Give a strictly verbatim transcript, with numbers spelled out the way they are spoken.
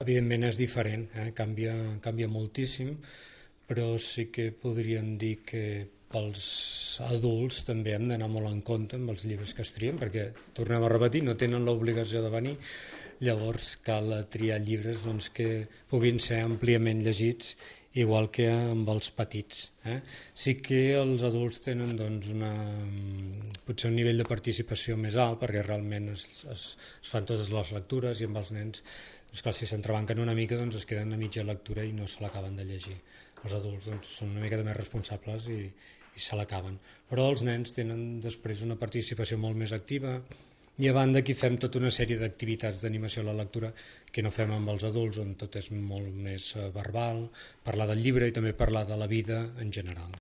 evidentment és diferent, eh? canvia, canvia moltíssim, però sí que podríem dir que pels adults també hem d'anar molt en compte amb els llibres que es trien, perquè, tornem a repetir, no tenen l'obligació de venir, llavors cal triar llibres doncs, que puguin ser àmpliament llegits, igual que amb els petits. Eh? Sí que els adults tenen doncs, una, potser un nivell de participació més alt, perquè realment es, es, es fan totes les lectures, i amb els nens, doncs, clar, si s'entrebanquen una mica, doncs, es queden a mitja lectura i no se l'acaben de llegir. Els adults doncs, són una mica més responsables i, i se l'acaben. Però els nens tenen després una participació molt més activa, i a banda aquí fem tota una sèrie d'activitats d'animació a la lectura que no fem amb els adults, on tot és molt més verbal, parlar del llibre i també parlar de la vida en general.